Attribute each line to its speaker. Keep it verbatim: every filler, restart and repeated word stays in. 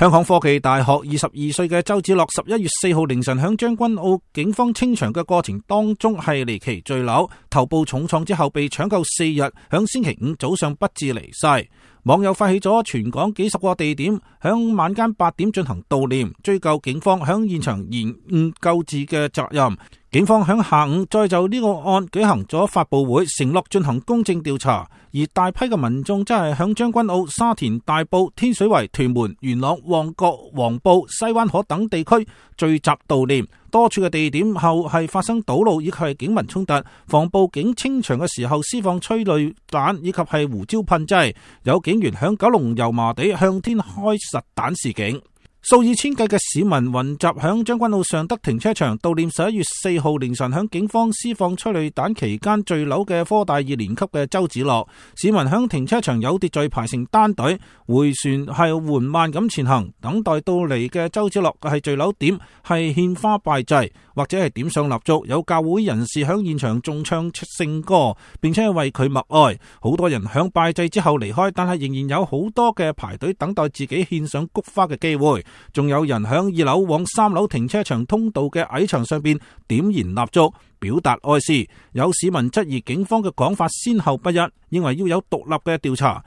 Speaker 1: 香港科技大學二十二歲嘅周梓樂，十一月四號凌晨響將軍澳警方清場嘅過程當中係離奇墜樓，頭部重創之後被搶救四日，響星期五早上不治離世。網友發起咗全港幾十個地點，響晚間八點進行悼念，追究警方響現場延誤救治嘅責任。警方響下午再就呢個案舉行咗發佈會，承諾進行公正調查。而大批嘅民眾真係響將軍澳、沙田、大埔、天水圍、屯門、元朗、旺角、黃埔、西灣河等地區聚集悼念。多處嘅地點後係發生堵路以及係警民衝突，防暴警清場嘅時候施放催淚彈以及係胡椒噴劑，有警員響九龍油麻地向天開實彈示警。數以千計嘅市民雲集響將軍澳尚德停車場悼念十一月四號凌晨響警方施放催淚彈期間墜樓嘅科大二年級嘅周梓樂。市民響停車場有秩序排成單隊，回旋係緩慢咁前行，等待到嚟嘅周梓樂係墜樓點係獻花拜祭或者係點上蠟燭。有教會人士響現場仲唱出聖歌，並且係為佢默哀。好多人響拜祭之後離開，但係仍然有好多嘅排隊等待自己獻上菊花嘅機會。仲有人響二樓往三樓停車場通道嘅矮牆上邊點燃蠟燭，表達哀思。有市民質疑警方嘅講法先後不一，認為要有獨立嘅調查。